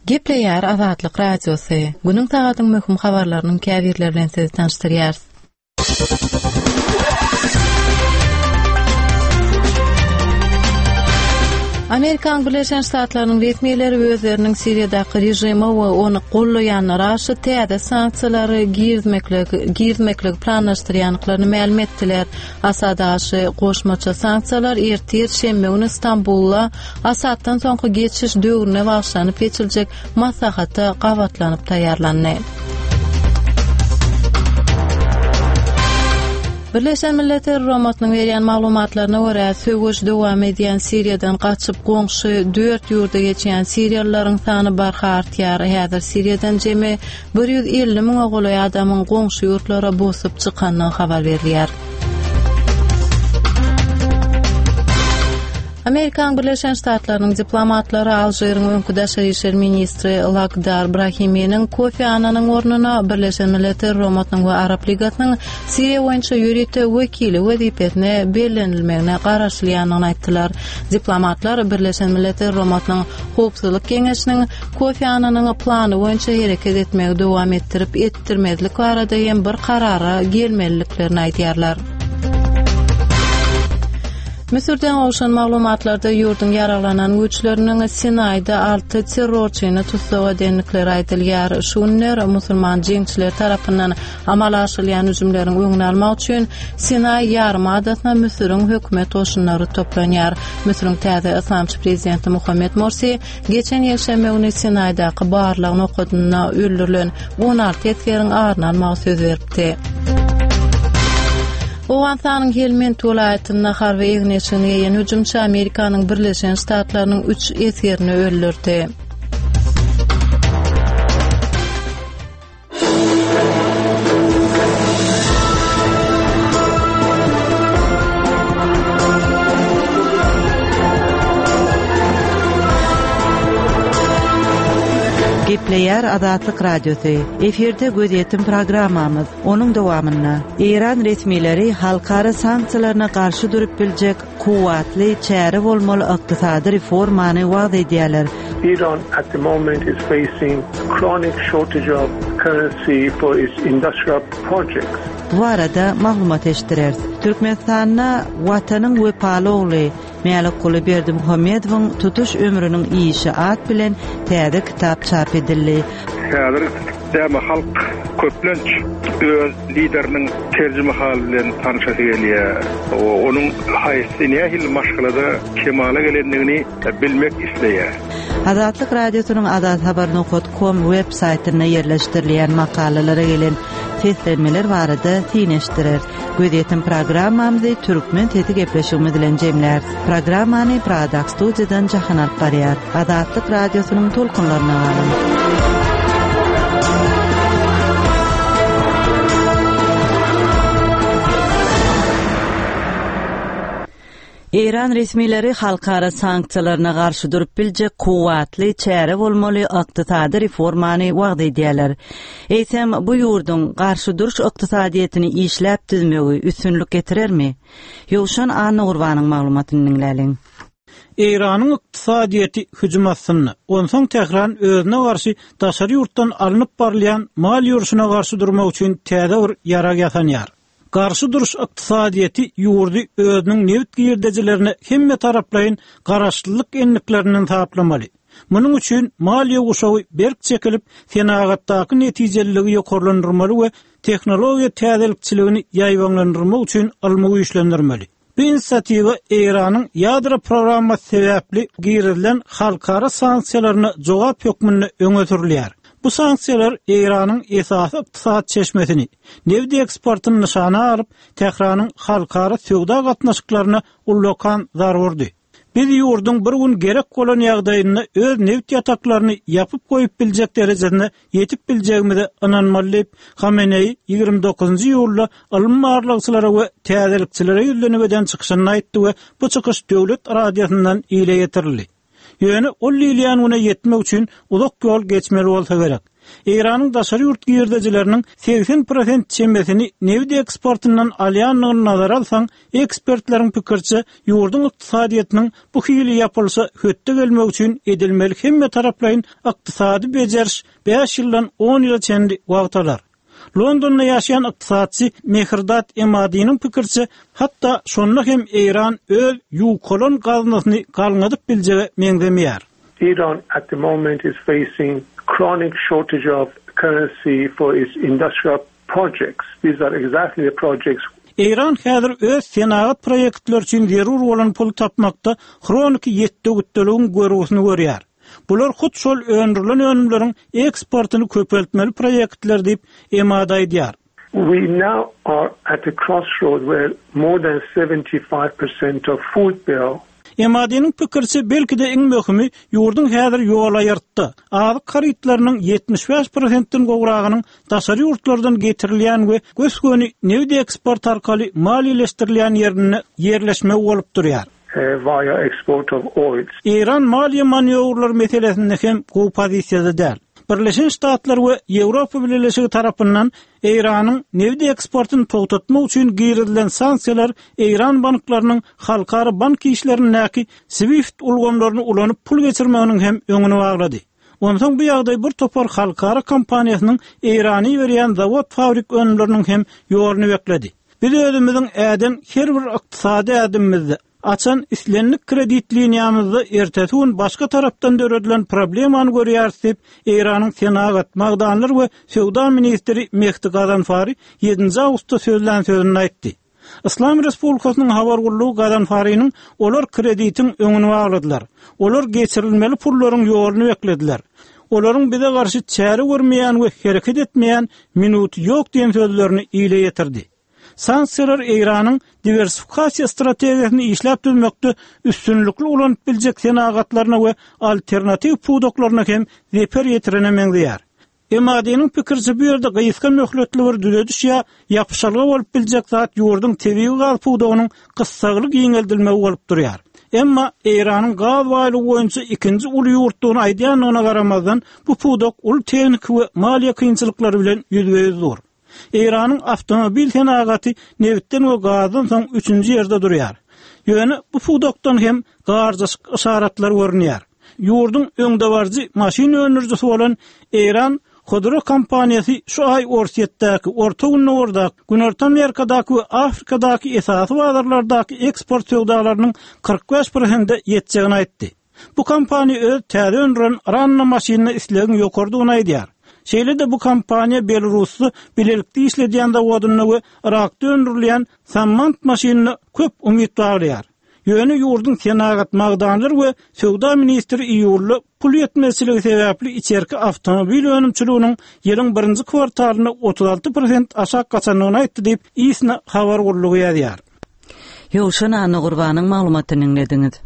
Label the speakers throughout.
Speaker 1: Gepleýär Azatlyk Radiosy, Günüň sagadyň möhüm habarlarynyň käbirleri bilen sizi tanyşdyrýarys. Amerikanyň Birleşen Ştatlarynyň resmileri özleriniň Siriýadaky režime we ony gollaýanlara garşy täze sanksiýalary girizmekligi girizmekligi planlaşdyrýandyklaryny mälim etdiler. Asada garşy goşmaça sanksiýalar ertir şenbe güni Stambulda Asaddan soňky geçiş döwrüne bagyşlanyp geçiriljek maslahata gabatlanyp taýýarlandy. Birleşen Milletler Guramasynyň berýän maglumatlaryna görä, söweş dowam edýän Siriýadan gaçyp goňşy dört ýurda geçýän siriýalylaryň sany barha artýar. Häzir Siriýadan jemi 150 müňe golaý adamyň goňşy ýurtlara bosup çykandygy habar berilýär. Amerikanyň Birleşen Ştatlarynyň diplomatlary Alžiriň öňki daşary işler ministri Lakdar Brahiminiň Kofi Annanyň ornuna Birleşen Milletler Guramasynyň we Arap Ligasynyň Siriýa boýunça ýörite wekili wezipesine bellenilmegine garaşylýandygyny aýtdylar. Diplomatlar Birleşen Milletler Guramasynyň Howpsuzlyk Geňeşiniň Kofi Annanyň plany boýunça hereket etmegi dowam etdirip etdirmezlik barada hem bir karara gelmeliliklerini aýdýarlar. Müsürden gowşan maglumatlarda ýurduň ýaraglanan güýçleriniň Sinaýda alty terrorçyny tussag edendikleri aýdylýar. Şu günler musulman jeňçileri tarapyndan amala aşyrylýan hüjümleriň öňüni almak üçin Sinaý ýarym adasyna Müsüriň hökümet goşunlary toplanýar. Müsüriň täze yslamçy prezidenti Muhammed Morsi Geçen ýekşenbe güni Sinaýdaky barlag nokadynda öldürilen 16 esgeriň aryny almagy söz beripdi. Owganystanyň Helmend welaýatynda harby egin-eşigini geýen hüjümçi Amerikanyň Birleşen Ştatlarynyň üç esgerini öldürdi.
Speaker 2: Gepleýär Azatlyk Radiosy. Efirde gözýetim programmamyz. Onuň dowamynda Eýran resmileri halkara sanksiýalaryna garşy durup biljek kuwwatly çäre bolmaly ykdysady reformany wagyz edýärler.
Speaker 3: Iran at the moment is facing chronic shortage of currency for its industrial projects.
Speaker 2: Bu barada maglumat eşitdireris. Türkmenistanda Watanyň wepaly ogly Mälikguly Berdimuhamedowyň tutuş ömrüniň işi at bilen täze kitap çap edildi.
Speaker 4: Häzir däme halk köplenç öz lideriniň terjimehaly bilen tanyşasy gelýär. Onuň haýsy, nähili maşgalada kemala gelendigini bilmek isleýär.
Speaker 2: Azatlyk Radiosynyň azathabar nokat kom web saýtynda ýerleşdirilýän makalalara gelen seslenmeler barada syn eşitdireris. Gözýetim programmamyzy Türkmen sesi gepleşigimiz bilen jemläris. Programmany Pradaky studiýadan Jahan alyp barýar. Azatlyk Radiosynyň tolkunlaryna galyň. Eýran resmileri halkara sanksiýalaryna garşy durup biljek kuwwatly çäre bolmaly ykdysady reformany wagyz edýärler. Eýsem, bu ýurduň garşy duruş ykdysadyýetini işläp düzmegi üstünlik getirermi? Ýowşan Annagurbanyň maglumatyny diňläliň.
Speaker 5: Eýranyň ykdysadyýeti hüjüm astynda. Onsoň Tähran özüne garşy daşary ýurtdan alnyp barylýan mal ýörişine garşy durmak üçin täze bir ýarag ýasanýar. Garşy duruş ykdysadyýeti ýurdy özüniň nebit girdejilerine hemmetaraplaýyn garaşlylyk endiklerinden saplamaly. Munuň üçin maliýe guşagy berk çekilip, senagatdaky netijeliligi ýokarlandyrmaly we tehnologiýa täzelikçiligini ýaýbaňlandyrmak üçin ylmy güýçlendirmeli. Bu inisiatiwa Eýranyň ýadro programmasy sebäpli girizilen halkara sanksiýalaryna jogap hökmünde öňe sürülýär. Bu sanksiýalar Eýranyň esasy ykdysady çeşmesini, nebit eksportyny nyşana alyp, Tähranyň halkara söwda gatnaşyklaryna ullakan zarba urdy. Biz ýurduň bir gün gerek bolan ýagdaýynda öz nebit ýataklaryny ýapyp goýup biljek derejesine ýetip biljegimize ynanmaly diýip, Hameneýi 29 njy iýulda ylmy barlagçylara we täzelikçilere ýüzlenip eden çykyşynda aýtdy we bu çykyş döwlet radiosyndan ile ýetirildi. Ýöne ol diýilýän güne ýetmek üçin uzak ýol geçmeli bolsa gerek. Eýranyň daşary ýurt girdejileriniň 80 prosent çemesini nebit eksportyndan alýandygyny nazara alsaň, ekspertleriň pikiriçe, ýurduň ykdysadyýetiniň bu hili ýapylyşa hötde gelmek üçin edilmeli hemmetaraplaýyn ykdysady bejeriş bäş ýyldan on ýyla çenli wagt alar. Londonda ýaşaýan ykdysatçy Mehrdad Emadiniň pikiriçe, hatda şonda hem Eýran öz ýukalan gaznasyny galňadyp biljege meňzemeýär.
Speaker 3: Iran at the moment is facing chronic shortage of currency for its industrial projects. These are exactly the projects
Speaker 5: Eýran häzir öz senagat proýektleri üçin zerur bolan puly tapmakda hroniki ýetde-gütdeligiň görgüsini görýär. Bular hut şol öndürilen önümleriň eksportyny köpeltmeli proýektler diýip, Emad aýdýar.
Speaker 3: We now are at a crossroad where more than 75% of food bill.
Speaker 5: Emadynyň pikiriçe, belki-de iň möhümi, ýurduň häzir ýolaýyrtda, azyk harytlarynyň 75 prosentden gowragynyň daşary ýurtlardan getirilýän we gös-göni nebit eksporty arkaly maliýeleşdirilýän ýerinde ýerleşmegi bolup durýar.
Speaker 3: via export of oil.
Speaker 5: Eýran maliýe manýowrlary meselesinde hem gowy pozisiýada däl. Birleşen Ştatlar we Ýewropa Bileleşigi tarapyndan Eýranyň nebit eksportyny togtatmak üçin girizilen sanksiýalar eýran banklarynyň halkara bank işlerindäki SWIFT ulgamlaryny ulanyp pul geçirmeginiň hem öňüni baglady. Onsoň bu ýagdaý bir topar halkara kompaniýasynyň Eýrana iberýän zawod-fabrik önümleriniň hem ýoluny bekledi. Biz özümiziň äden her bir ykdysady ädimimizde, açan islendik kredit liniýamyzda ertesi gün başga tarapdan döredilen problemany görýäris diýip, Eýranyň senagat, magdanlar we söwda ministri Mehdi Gazanfari ýedinji awgustda sözlän sözünde aýtdy. Yslam Respublikasynyň habar gullugy Gazanfariniň Olar kreditiň öňüni bagladylar. Olar geçirilmeli pullaryň ýoluny beklediler. Olaryň bize garşy çäre görmeýän we hereket etmeýän minuty ýok diýen sözlerini ile ýetirdi. Sanksiýalar Eýranyň diwersifikasiýa strategiýasyny işläp düzmekde üstünlikli ulanyp biljek senagatlaryna we alternatiw pudaklaryna hem zeper ýetirene meňzeýär. MAD-nyň pikiriçe bu ýerde gysga möhletli bir düzediş ýa ýapyşalga bolup biljek zat ýurduň tebigy gaz pudagynyň gyssagly giňeldilmegi bolup durýar. Emma Eýranyň gaz baýlygy boýunça ikinji uly ýurtdugyny aýdýandygyna garamazdan, bu pudak uly tehniki we maliýe kynçylyklary bilen ýüzbe-ýüz dur. Eýranyň awtomobil senagaty nebitden we gazdan soň üçünji ýerde durýar. Ýöne bu pudakdan hem garjaşyk yşaratlar görünýär. Ýurduň öňdebaryjy maşyn öndürijisi bolan Eýran Hodro kompaniýasy şu aý Orsýetdäki, Orta Gündogardaky, Günorta Amerikadaky we Afrikadaky esasy bazarlardaky eksport söwdalarynyň 45 prosente ýetjegini aýtdy. Bu kompaniýa öz täze öndüren Ranna maşynyna islegiň ýokarydygyny aýdýar. Şeýle-de bu kompaniýa Belarusda bilelikde işledýän zawodynda we Yrakda öndürilýän Sammant maşynyna köp umyt baglaýar. Ýöne ýurduň senagat, magdanlar we söwda ministri iýulda pul ýetmezçiligi sebäpli içerki awtomobil önümçiliginiň ýylyň birinji kwartalynda 36 prosent aşak gaçandygyny aýtdy diýip, ISNA habar gullugy ýazýar.
Speaker 2: Ýowşan Annagurbanyň maglumatyny diňlediňiz.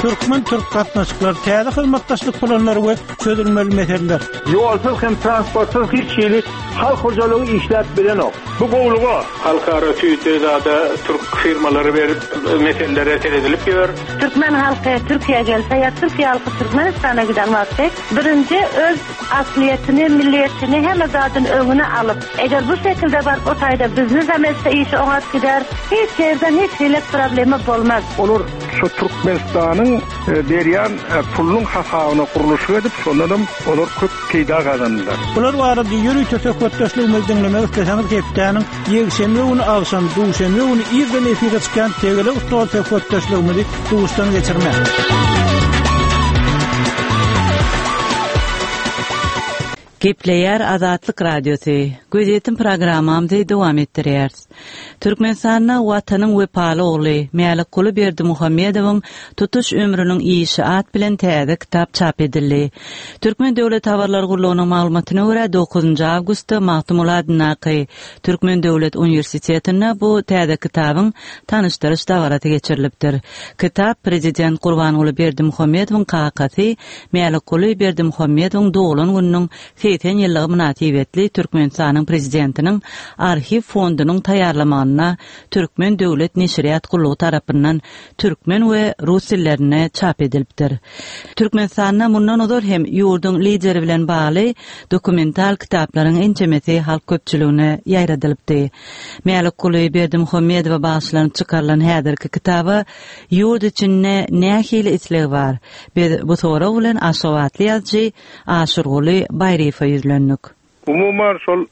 Speaker 5: Türkmen-türk gatnaşyklary, täze hyzmatdaşlyk planlary we çözülmeli meseleler.
Speaker 4: Ýolsuz hem transportsyz hiç hili halk hojalygy işläp bilenok. Bu gowluga.
Speaker 3: Halkara süýde zada türk firmalary berip meselelere seredilip ýör.
Speaker 6: Türkmen halky Türkiýä gelse ýa Türkiýe halky Türkmenistana giden wagty birinji öz aslyýetini, milliýetini hemme zadyny öňüne alyp, eger bu şekilde baryp o taýda biznesem etse işi oňat gider, hiç ýerden hiç hili problema bolmaz.
Speaker 4: Olar şu Türkmenistanyň berýän pulunyň hasabyna gurluşyk edip, şondanam olar köp peýda gazandylar.
Speaker 5: Bular barada ýörite söhbetdeşligimizi diňlemek isleseňiz hepdäniň ýekşenbe güni agşam, duşenbe güni irden efire çykýan Tegelek stol söhbetdeşligimizi duşdan geçirmäň.
Speaker 2: Gepleýär Azatlyk Radiosy. Gözýetim programmamyzy dowam etdirýäris. Türkmenistanda Watanyň wepaly ogly Mälikguly Berdimuhamedowyň tutuş ömrüniň işi at bilen täze kitap çap edildi. Türkmen döwlet habarlar gullugynyň maglumatyna görä, dokuzynjy awgustda Magtymguly adyndaky Türkmen döwlet uniwersitetinde bu täze kitabyň tanyşdyryş dabarasy geçirilipdir. Kitap prezident Gurbanguly Berdimuhamedowyň kakasy Mälikguly Berdimuhamedowyň doglan gününiň 80. 80 ýyllygy mynasybetli Türkmenistanyň Prezidentiniň Arhiw fondunyň taýýarlamagynda Türkmen döwlet neşirýat gullugy tarapyndan türkmen we rus dillerinde çap edilipdir. Türkmenistanda mundan ozal hem ýurduň Lideri bilen bagly dokumental kitaplaryň ençemesi halk köpçüligine ýaýradylypdy. Mälikguly Berdimuhamedowa bagyşlanyp çykarylan häzirki kitaba ýurt içinde nähili isleg bar? Biz bu sorag bilen aşgabatly ýazyjy Aşyrguly Baýryýewe ýüzlendik.
Speaker 4: Umuman, şol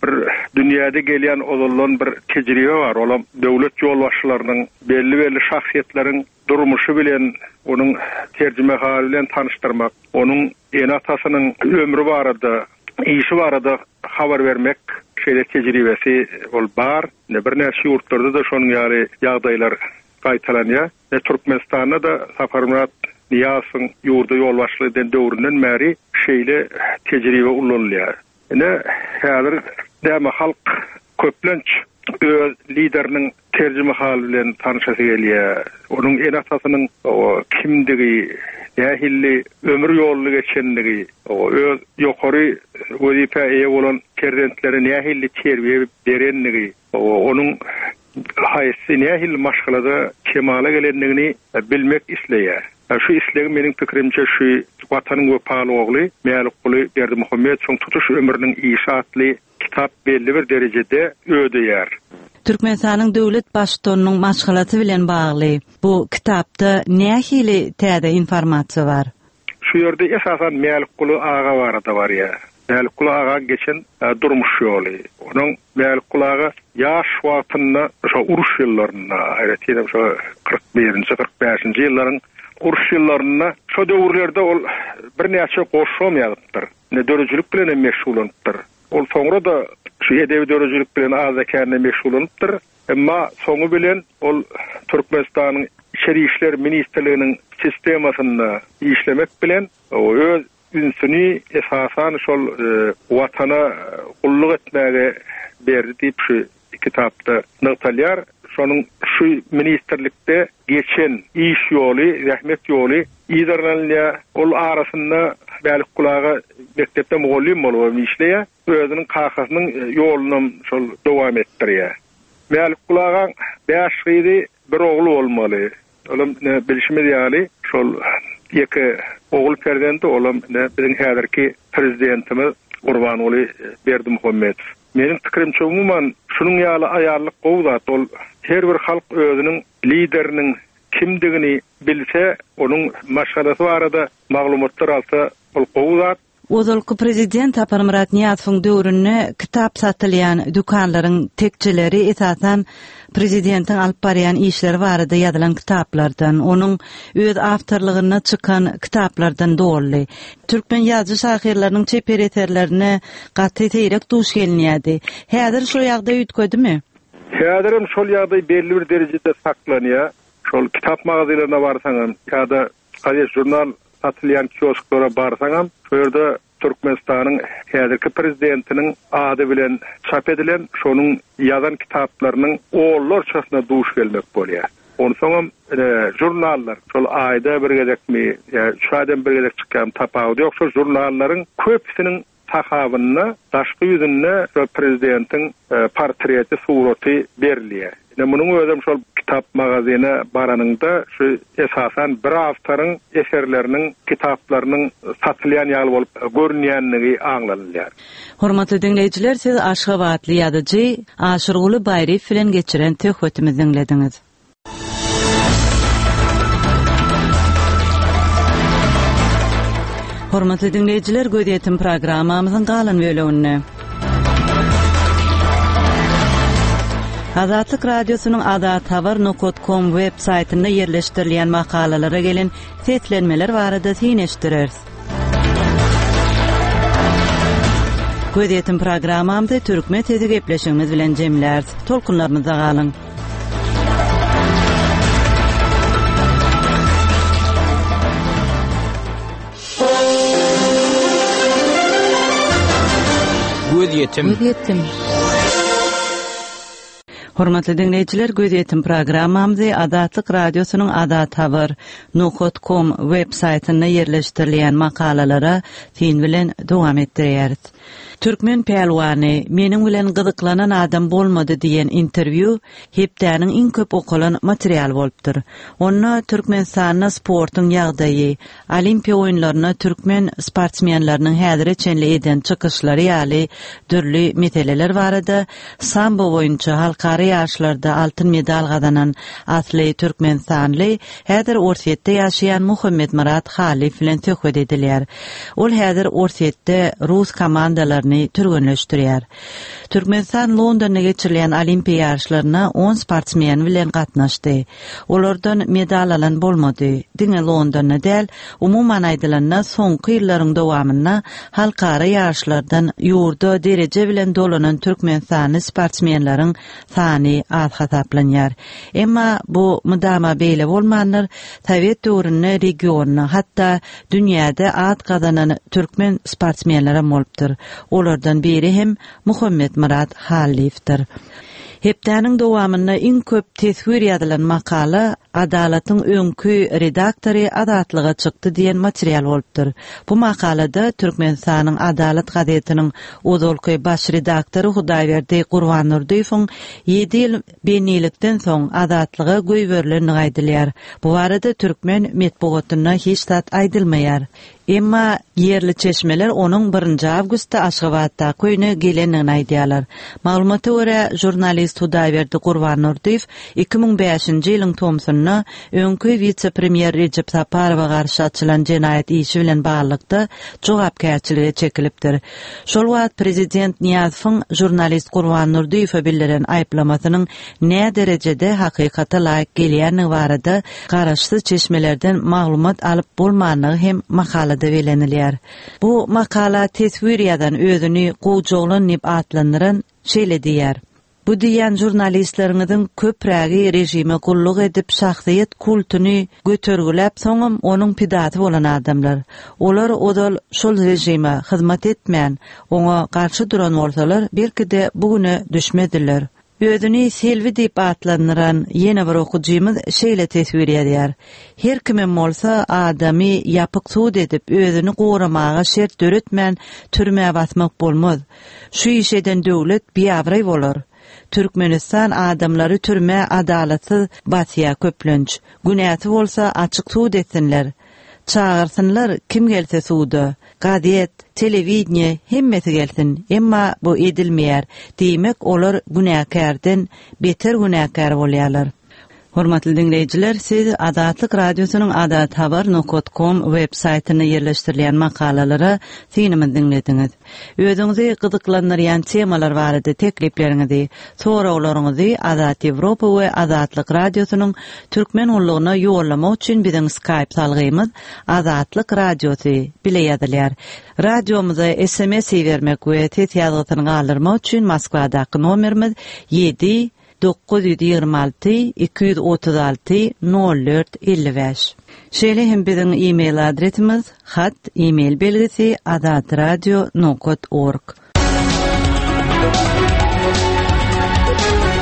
Speaker 4: bir dünýäde gelýän ozaldan bir tejribe bar, olam döwlet ýolbaşçylarynyň, belli-belli şahsyýetleriň durmuşy bilen, onuň terjimehaly bilen tanyşdyrmak, onuň ene-atasynyň ömri barada, işi barada habar bermek şeýle tejribesi ol bar. Ine, birnäçe ýurtlarda-da şonuň ýaly ýagdaýlar gaýtalanýar. Ine, Türkmenistanda-da Saparmyrat Nyýazowyň ýurda ýolbaşçylyk eden döwründen bäri şeýle tejribe ulanylýar. Ine, häzir näme halk köplenç öz lideriniň terjimehaly bilen tanyşasy gelýär. Onuň ene-atasynyň kimdigi, nähili ömür ýoluny geçendigi, öz ýokary wezipä eýe bolan perzentlerine nähili terbiýe berendigi, onuň haýsy, nähili maşgalada kemala gelendigini bilmek isleýär. Şu islegi meniň pikirimçe şu Watanyň wepaly ogly Mälikguly Berdimuhamedowyň tutuş ömrüniň işi atly kitap belli bir derejede ödeýär.
Speaker 2: Türkmenistanyň döwlet Baştutanynyň maşgalasy bilen bagly bu kitapda nähili täze informasiýa bar?
Speaker 4: Şu ýerde esasan Mälikguly aga barada barýar. Mälikguly agaň geçen durmuş ýoly. Onuň Mälikguly aga ýaş wagtynda şo uruş ýyllarynda, aýratynam şo 41-nji, 45-nji ýyllaryň uruş ýyllarynda şo döwürlerde ol birnäçe goşgam ýazypdyr. Ine döredijilik bilen hem meşgullanypdyr. Ol soňra-da şu edebi döredijilik bilen azda-kände meşgullanypdyr. Emma soňy bilen ol Türkmenistanyň Içeri işler ministrliginiň sistemasynda işlemek bilen öz ünsüni esasan şol Watana gulluk etmäge berdi diýip şu kitapda nygtalýar. Şonuň şu ministrlikde geçen iş ýoly, zähmet ýoly yzarlanylýar. Ol arasynda Mälikguly aga mekdepde mugallym bolubam işleýär. Özüniň kakasynyň ýolunam şol dowam etdirýär. Mälikguly agaň bäş gyzy, bir ogly bolmaly. Olam ine bilşimiz ýaly şol ýeke ogul perzendi, olam ine biziň häzirki Prezidentimiz Gurbanguly Berdimuhamedow. Meniň pikirimçe umuman şunuň ýaly aýallyk gowy zat. Ol her bir halk özüniň lideriniň kimdigini bilse, onuň maşgalasy barada maglumatlar alsa ol gowy zat.
Speaker 2: Ozalky prezident Saparmyrat Nyýazowyň döwründe kitap satylýan dükanlaryň tekjeleri esasan prezidentiň alyp barýan işleri barada ýazylan kitaplardan, onuň öz awtorlygynda çykan kitaplardan doldy. Türkmen ýazyjy-şahyrlarynyň çeper eserlerine gaty seýrek duş gelinýärdi. Häzir şo ýagdaý üýtgedimi?
Speaker 4: Häzirem şol ýagdaý belli bir derejede saklanýar. Şol kitap magazinlerine barsaňam ýa-da Gazet-žurnal satylýan kiosklara barsaňam, şo ýerde Türkmenistanyň häzirki prezidentiniň ady bilen çap edilen, şonuň ýazan kitaplarynyň onlarçasyna duş gelmek bolýar. Onsoňam, ine, žurnallar, şol aýda bir gezekmi ýa üç aýdan bir gezek çykýarmy, tapawudy ýok, şol žurnallaryň köpüsiniň Sahabynda daşky ýüzünde şol prezidentiň portreti, suraty berilýär. Ine, munuň özem şol kitap magazyna baranyňda şu esasan bir awtoryň eserleriniň, kitaplarynyň satylýan ýaly bolup görünýänligi aňlanylýar.
Speaker 2: Hormatly diňleýjiler, siz aşgabatly ýazyjy Aşyrguly Baýryýew bilen geçiren söhbetimizi diňlediňiz. Hormatly diňleýjiler, gözýetim programmamyzyň galan böleginde Azatlyk Radiosynyň azathabar nokat kom web saýtynda ýerleşdirilýän makalalara gelen seslenmeler barada syn eşitdireris. Gözýetim programmamyzy Türkmen sesi gepleşigimiz bilen jemläris. Tolkunlarymyzda galyň.
Speaker 7: Gözýetim. Gözýetim.
Speaker 2: Hormatly diňleýjiler, Gözýetim programmamyzy Azatlyk Radiosynyň Azat Habar nokat kom web saýtynda ýerleşdirilýän makalalara syn bilen dowam etdirýäris. Türkmen pälwany, Meniň bilen gyzyklanan adam bolmady diýen interwýu hepdäniň iň köp okalan materialy bolupdyr. Onda Türkmenistanda sportuň ýagdaýy, Olimpiýa oýunlarynda türkmen sportsmenleriniň häzire çenli eden çykyşlary ýaly dürli meseleler barada sambo boýunça halkara ýaryşlarda altyn medal gazanan asly türkmenistanly, häzir Orsýetde ýaşaýan Muhammetmyrat Halyýew bilen söhbet edilýär. Ol häzir Orsýetde rus komandalaryny türgenleşdirýär. Türkmenistan Londonda geçirilýän Olimpiýa ýaryşlaryna on sportsmen bilen gatnaşdy. Olardan medal alan bolmady. Diňe Londonda däl, umuman aýdylanda, soňky ýyllaryň dowamynda halkara ýaryşlardan ýurda dereje bilen dolanan türkmenistanly sportsmenleriň sany az hasaplanýar. Emma bu mydama beýle bolmandyr, sowet döwründe regionda, hatda dünýäde at gazanan türkmen sportsmenlerem bolupdyr. Olardan biri hem Muhammetmyrat Hallyýewdir. Hepdäniň dowamynda iň köp teswir ýazylan makala Adalatyň öňki redaktory azatlyga çykdy diýen material bolupdyr. Bu makalada Türkmenistanyň Adalat gazetiniň ozalky baş redaktory Hudaýberdi Gurbandurdyýewiň ýedi ýyl bendilikden soň azatlyga goýberilendigi aýdylýar. Bu barada türkmen metbugatynda hiç zat aýdylmaýar. Emma ýerli çeşmeler onuň birinji awgustda Aşgabatdaky öýüne gelendigini aýdýarlar. Maglumata görä, žurnalist Hudaýberdi Gurbandurdyýew 2005-nji ýylyň tomsunda öňki wise-premýer Rejep Saparowa garşy açylan jenaýat işi bilen baglylykda jogapkärçilige çekilipdir. Şol wagt prezident Nyýazowyň žurnalist Gurbandurdyýewe bildiren aýyplamasynyň näderejede hakykata laýyk gelýändigi barada garaşsyz çeşmelerden maglumat alyp bolmandygy hem makalada bellenilýär. Bu makala teswir ýazan özüni Gowjoglan diýip atlandyran şeýle diýýär, Bu diýýän žurnalistleriňiziň köprägi režime gulluk edip şahsyýet kultuny götergiläp soňam onuň pidasy bolan adamlar. Olar ozal şol režime hyzmat etmän, oňa garşy duran bolsalar belki-de bu güne düşmezdiler. Özüni Selbi diýip atlandyran ýene bir okyjymyz şeýle teswir ýazýar, Her kimem bolsa adamy ýapyk sud edip özüni goramaga şert döretmän türmä basmak bolmaz. Şu işi eden döwlet biabraý bolar. Türkmenistan adamlary türmä adalatsyz basýa köplenç. Günäsi bolsa açyk sud etsinler. Çagyrsynlar kim gelse suda, gazet, telewideniýe hemmesi gelsin, emma bu edilmeýär, diýmek olar günäkärden beter günäkär bolýarlar. Hormatly diňleýjiler, siz Azatlyk Radiosynyň Azathabar nokat kom web saýtynda ýerleşdirilýän makalalara synymyzy diňlediňiz. Özüňizi gyzyklandyrýan temalar barada teklipleriňizi, soraglaryňyzy Azat Ýewropa we Azatlyk Radiosynyň Türkmen gullugyna ýollamak üçin biziň Skype salgymyz Azatlyk Radiosy bile ýazylýar. Radiomyza sms ibermek we ses ýazgysyny galdyrmak üçin Moskwadaky nomerimiz ýedi 926 236 04 55. Şeýle hem biziň e-mail adresimiz hat e-mail belgisi azatradio nokat org.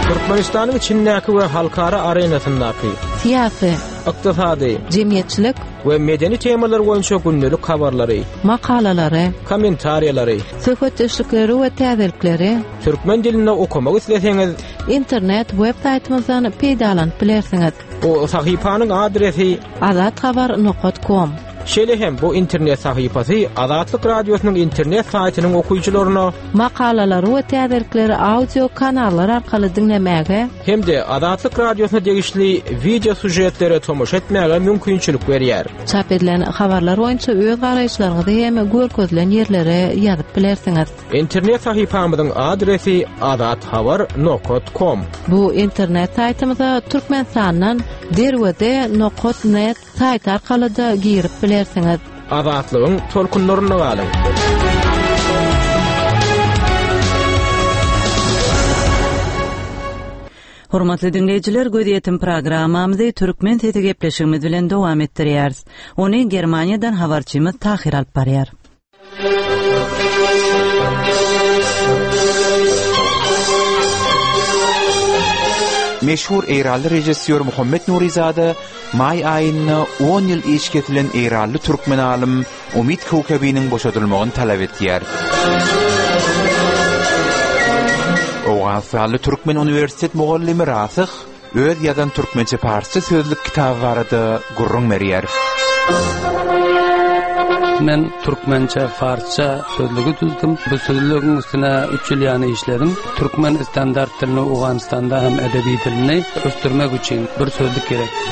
Speaker 7: Türkmenistanyň içindäki we halkara arenasyndaky
Speaker 1: Syýasy,
Speaker 7: ykdysady,
Speaker 1: jemgyýetçilik
Speaker 7: we medeni temalar boýunça gündelik habarlary,
Speaker 1: makalalary,
Speaker 7: kommentariýalary,
Speaker 1: söhbetdeşlikleri we täzelikleri
Speaker 7: türkmen dilinde okamak isleseňiz,
Speaker 1: internet web saýtymyzdan peýdalanyp bilersiňiz.
Speaker 7: Bu sahypanyň adresi
Speaker 1: Azathabar nokat kom.
Speaker 7: Şeýle hem bu internet sahypasy Azatlyk Radiosynyň internet saýtynyň okyjylaryna
Speaker 1: Makalalary we täzelikleri audio kanallar arkaly diňlemäge
Speaker 7: hem-de Azatlyk Radiosyna degişli wideo sýužetlere tomaşa etmäge mümkinçilik berýär.
Speaker 1: Çap edilen habarlar boýunça öz garaýyşlaryňyzy hem görkezilen ýerlere ýazyp bilersiňiz.
Speaker 7: Internet sahypamyzyň adresi azathabar nokat kom.
Speaker 1: Bu internet saýtymyza Türkmenistandan Derweze nokat net saýty arkaly-da girip bilersiňiz.
Speaker 7: Azatlygyň tolkunlarynda galyň!
Speaker 2: Hormatly diňleýjiler, Gözýetim programmamyzy Türkmen sesi gepleşigimiz bilen dowam etdirýäris. Ony Germaniýadan habarçymyz Tahyr alyp barýar.
Speaker 8: Meşhur eýranly režissýor Muhammet Nurizada maý aýynda on ýyl iş kesilen eýranly türkmen alym Umyt Köwkebiniň boşadylmagyny talap etýär. Owganystanly türkmen uniwersitet mugallymy Rasyh öz ýazan türkmençe-parsça sözlük kitaby barada gürrüň berýär.
Speaker 9: Men türkmençe-farsça sözlügi düzdüm. Bu sözlügiň üstüne üç ýyl ýany işledim. Türkmen standart dilini Owganystanda hem edebi dilini ösdürmek üçin bir sözlük gerekdi.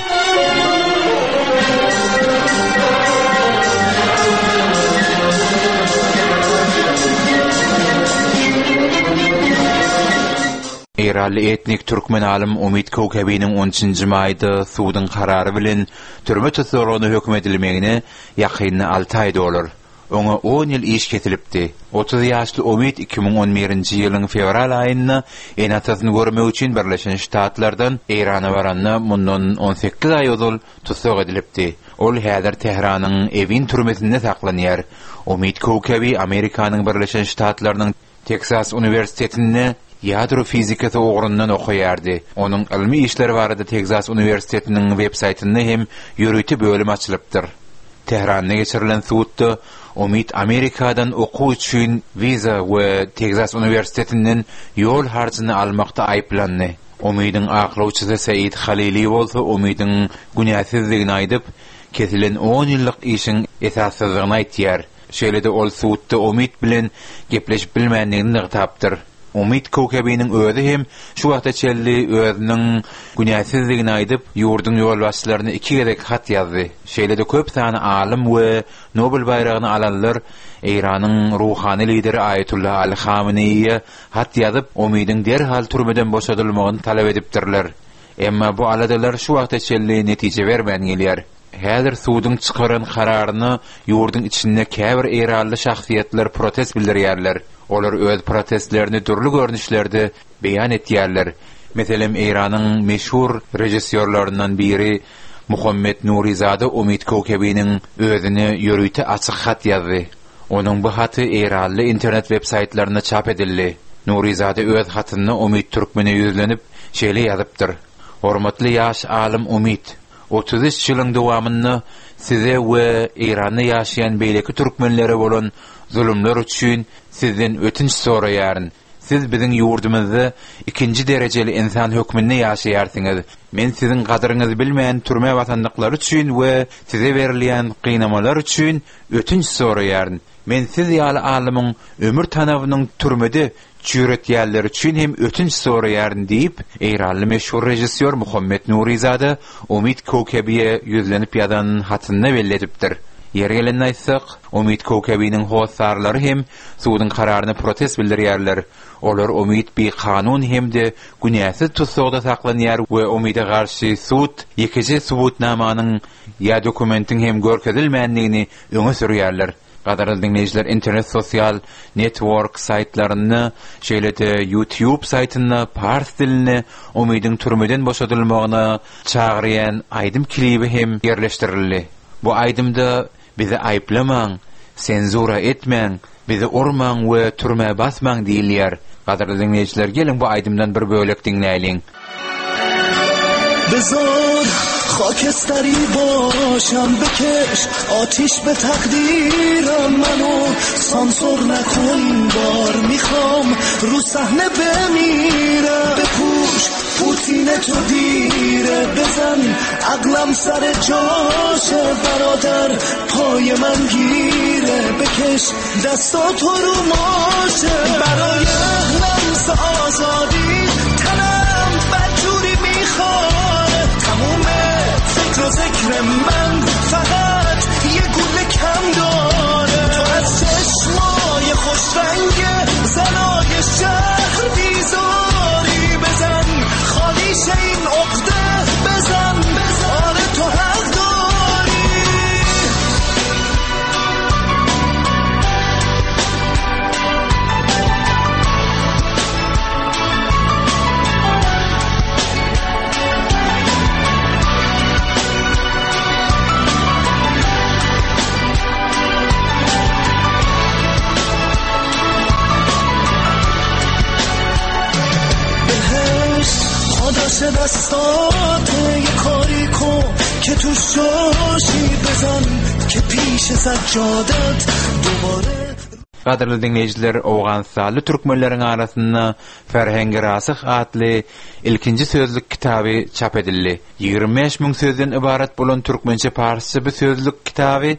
Speaker 8: Eýranly etnik türkmen alym Umyt Köwkebiniň on üçünji maýda suduň karary bilen türme tussaglygyna höküm edilmegine ýakynda alty aý dolar. Oňa on ýyl iş kesilipdi. 30 ýaşly Umyt 2011-nji ýylyň fewral aýynda ene-atasyny görmek üçin Birleşen Ştatlardan Eýrana baranda mundan 18 aý ozal tussag edilipdi. Ol häzir Tähranyň Ewin türmesinde saklanýar. Umyt Köwkebi Amerikanyň Birleşen Ştatlarynyň Teksas uniwersitetinde ýadro fizikasy ugrundan okaýardy. Onuň ylmy işleri barada Tegzas uniwersitetiniň web-saýtynda hem ýörite bölüm açylypdyr. Tähranda geçirilen sudda Omid Amerikadan okuw üçin wiza we Tegzas uniwersitetinden ýol harjyny almakda aýyplandy. Omidiň aklawçysy Said Halili bolsa Omidiň günäsizdigini aýdyp, kesilen on ýyllyk işiň esassyzdygyny aýtýar. Şeýle-de ol sudda Umyt bilen gepleşip bilmändigini nygtapdyr. Umyt Köwkebiniň özi hem şu wagta çenli özüniň günäsizdigini aýdyp, ýurduň ýolbaşçylaryna iki gezek hat ýazdy. Şeýle-de köp sany alym we Nobel baýragyny alanlar Eýranyň ruhany lideri Aýatullah Ali Hameneýiýe hat ýazyp, Umydyň derhal türmeden boşadylmagyny talap edipdirler. Emma bu aladalar şu wagta çenli netije bermän gelýär. Häzir suduň çykaran kararyna ýurduň içinde käbir eýranly şahsyýetler protest bildirýärler. Olar öz protestlerini dürli görnüşlerde beýan etýärler. Meselem, Eýranyň meşhur režissýorlaryndan biri Muhammet Nurizada Umid Köwkebiniň özüne ýörite açyk hat ýazdy. Onuň bu haty eýranly internet websaýtlarynda çap edildi. Nurizada öz hatynda Umid Türkmene ýüzlenip, şeýle ýazypdyr, Hormatly ýaş alym Umid! 33 ýylyň dowamynda size we Eýranda ýaşaýan beýleki türkmenlere bolan zulumlar üçin sizden ötünç soraýaryn. Siz biziň ýurdumyzda ikinji derejeli ynsan hökmünde ýaşaýarsyňyz. Men siziň gadyryňyzy bilmän türmä basandyklary üçin we size berilýän gynamalar üçin ötünç soraýaryn. Men siz ýaly alymyň ömür tanabynyň türmede çüýretýänler üçin hem ötünç soraýaryn diýip, eýranly meşhur režissýor Muhammet Nurizada Umid Köwkebiýe ýüzlenip ýazan hatynda belli edipdir. Ýeri gelende aýtsak, Umid Köwkebiniň hossarlary hem suduň kararyna protest bildirýärler. Olar Umid bikanun hem-de günäsiz tussagda saklanýar we Umide garşy sud ýekeje subutnamanyň ýa dokumentiň hem görkezilmändigini öňe sürýärler. Gadyrly diňleýjiler internet sosial network saýtlarynda şeýle-de YouTube saýtynda pars dilinde Umydyň türmeden boşadylmagyna çagyrýan aýdym klibi hem ýerleşdirildi. Bu aýdymda bizi aýyplamaň, senzura etmäň, bizi urmaň we türmä basmaň diýilýär. Gadyrly diňleýjiler geliň bu aýdymdan bir bölek diňläýliň.
Speaker 10: بذار خاکستری باشم بکش آتیش به تقدیرم منو سانسور نکن بار میخوام رو صحنه بمیرم بپوش پوتین تو دیره بزن عقلم سر جاشه برادر پای من گیره بکش دستا تو رو ماشه برای لمس آزادی تنم بدجوری میخواره تموم فکر و ذکر من فقط یه گوله کم داره تو از چشمای خوش رنگ زنای شهر بیزاری بزن خالیش این عقده بزن بزن آره تو حق داری دستاته یه کاری کن که تو شاشی بزن که پیش سجادت دوباره
Speaker 8: Gadyrly diňleýjiler, owganystanly türkmenleriň arasynda Ferhengi Rasyh atly ilkinji sözlük kitaby çap edildi. 25 müň sözden ybarat bolan türkmençe-parsça bu sözlük kitaby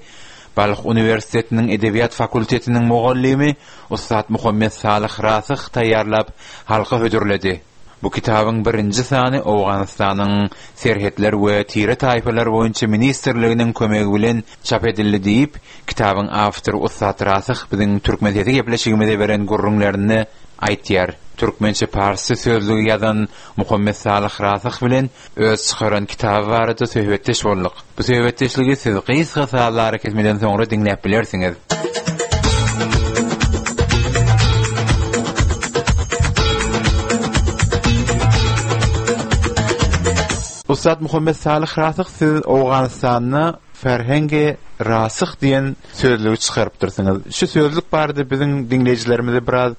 Speaker 8: Balh uniwersitetiniň edebiýat fakultetiniň mugallymy ussat Muhammet Salyh Rasyh taýýarlap, halka hödürledi. Bu kitabyň birinji sany Owganystanyň Serhetler we tire-taýpalar boýunça ministrliginiň kömegi bilen çap edildi diýip, kitabyň awtory ussat Rasyh biziň Türkmen sesi gepleşigimize beren gürrüňlerinde aýtýar. Türkmençe-parsça sözlügi ýazan Muhammet Salyh Rasyh bilen öz çykaran kitaby barada söhbetdeş bolduk. Bu söhbetdeşligi siz gysga sazly arakesmeden soňra diňläp bilersiňiz. Ussat Muhammet Salyh Rasyh siz Owganystanda Ferhengi Rasyh diýen sözlügi çykarypdyrsyňyz. Şu sözlük barada biziň diňleýjilerimize biraz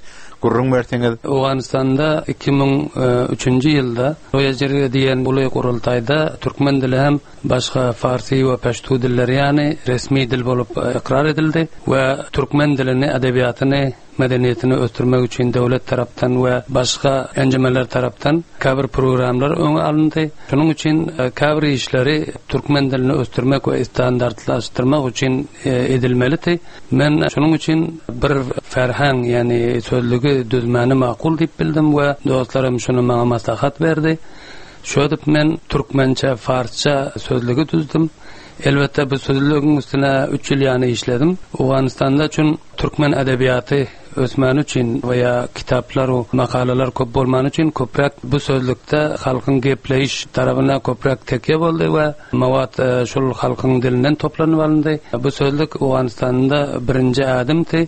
Speaker 8: gürrüň berseňiz.
Speaker 9: Owganystanda 2003-nji ýylda Loýa Jirge diýen uly gurultaýda türkmen dili hem başga farsy we peştu dilleri ýaly resmi dil bolup ykrar edildi we türkmen dilini, edebiýatyny, medeniýetini ösdürmek üçin döwlet tarapdan we başga enjemeler tarapdan käbir programlar öňe alyndy. Şunuň üçin käbir işleri türkmen dilini ösdürmek we standartlaşdyrmak üçin edilmelidi. Men şunuň üçin bir ferhang, ýagny sözlügi düzmäni makul diýip bildim we dostlarym şuny maňa maslahat berdi. Şödüp men türkmençe, farsça sözlügi düzdüm. Elbetde bu sözlügiň üstüne üç ýyl ýany işledim. Owganystanda üçin Türkmen edebiýaty ösmäni üçin we ýa kitaplar we makalalar köp bolmany üçin köpräk bu sözlükde halkyň gepleýiş tarabyna köpräk tekýe boldy we mowat şul halkyň dilinden toplanyp alyndy. Bu sözlük Owganystanda birinji ädimdi.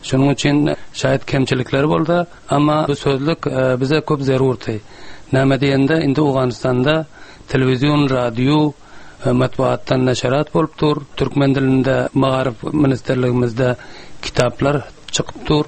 Speaker 9: Şonuň üçin şaýat kemçilikleri bolsa, amma bu sözlük bize köp zerurdy. Näme diýende indi Owganystanda telewizion, radio, Metbugatdan neşerat bolup dur. Türkmen dilinde Magaryf ministrligimizde kitaplar çykyp dur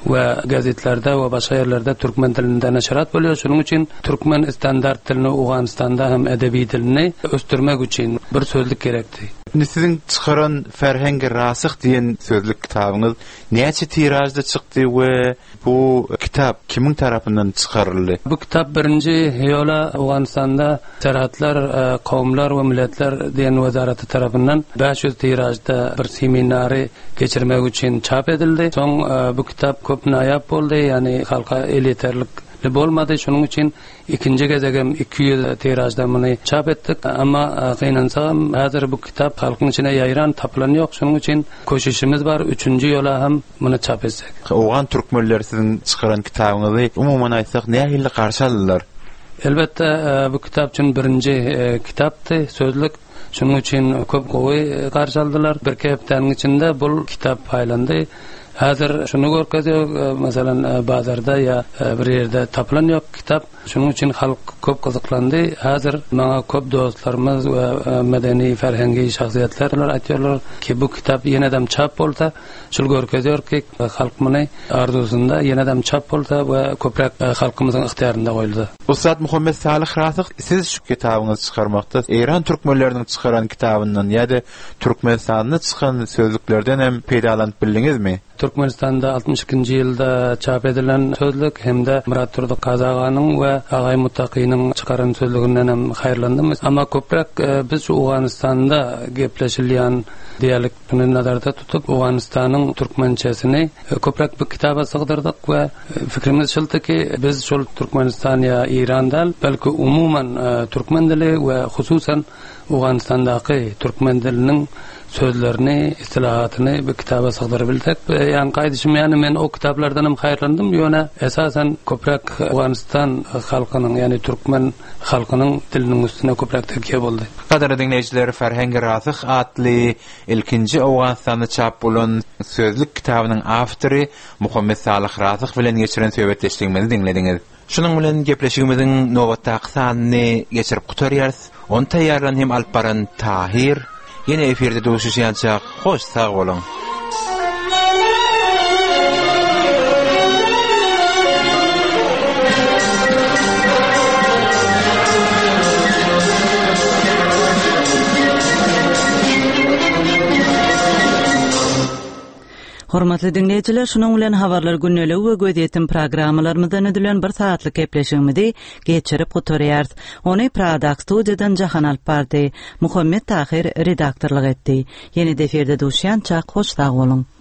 Speaker 9: we gazetlerde we başga ýerlerde türkmen dilinde neşerat bolýar. Şonuň üçin türkmen standart dilini Owganystanda hem edebi dilini ösdürmek üçin bir sözlük gerekdi.
Speaker 8: Indi siziň çykaran Ferhengi Rasyh diýen sözlük kitabyňyz näçe tiražda çykdy we Bu kitap kimiň tarapyndan çykaryldy?
Speaker 9: Bu kitap birinji ýola Owganystanda Serhatlar, kowumlar we milletler diýen wezaraty tarapyndan 500 tiražda bir seminary geçirmek üçin çap edildi. Soň bu kitap köp naýap boldy, ýagny halka elýeterlikli bolmady. Şonuň üçin Ikinji gezegem 200 tiražda muny çap etdik. Emma gynansagam häzir bu kitap halkyň içine ýaýran, tapylan ýok. Şonuň üçin köşüşimiz bar, üçünji ýola hem muny çap etsek.
Speaker 8: Owgan türkmenleri siziň çykaran kitabyňyzy umuman aýtsak nähili garşy aldylar?
Speaker 9: Elbetde, bu kitap üçin birinji kitapdy, sözlük. Şonuň üçin köp gowy garşy aldylar. Birki hepdäniň içinde bul kitap paýlandy. Häzir şuny görkezýär, meselem, bazarda ýa bir ýerde tapylan ýok kitap. Şonuň üçin halk köp gyzyklandy. Häzir maňa köp dostlarymyz we medeni, ferhengi şahsyýetler aýtýarlar ki, bu kitap ýenedem çap bolsa, Şul görkezýär ki, halk muny arzuwsynda ýenedem çap bolsa we köpräk halkymyzyň ygtyýarynda goýulsa.
Speaker 8: Ussat Muhammet Salyh Rasyh, siz şu kitabyňyzy çykarmakda Eýran türkmenleriniň çykaran kitabyndan ýa-da Türkmenistanda çykan sözlüklerden hem peýdalanyp bildiňizmi?
Speaker 9: Türkmenistanda altmyş ikinji ýylda çap edilen sözlük hem-de Myratdurdy Kazy aganyň we Agaý Muttakynyň çykaran sözlüginden hem haýyrlandym. Emma köpräk biz şu Owganystanda gepleşilýän dialekt Muny nazarda tutup, Owganystanyň türkmençesini köpräk bu kitaba sygdyrdyk we fikrimiz şuldy ki, biz şol Türkmenistan ýa Eýran däl, belki umuman türkmen dili we hususan Owganystandaky türkmen diliniň sözlerini, istilahatyny bu kitaba sygdyrybilsek. Ýaňky aýdyşym ýaly, men o kitaplardan hem haýyrlandym, ýöne esasan köpräk Owganystan halkynyň, ýagny türkmen halkynyň diliniň üstüne köpräk tekýe boldy.
Speaker 8: Gadyrly diňleýjiler, Ferhengi Rasyh atly ilkinji Owganystanda çap bolan sözlük kitabynyň awtory Muhammet Salyh Rasyh bilen geçiren söhbetdeşligimizi diňlediňiz. Şunuň bilen gepleşigimiziň nobatdaky sanyny geçirip gutarýarys. Ony taýýarlan hem alyp baran Tahyr. Ýene efirde duşuşýançak, hoş sag boluň!
Speaker 2: Hormatly diňleýjiler, şunuň bilen Habarlar gündeligi we Gözýetim programmalarymyzdan düzülen bir sagatlyk gepleşigimizi geçirip gutarýarys. Ony Pradaky studiýadan Jahan alyp bardy. Muhammet Tahyr redaktorlyk etdi. Ýene-de efirde duşýançak hoş sag boluň!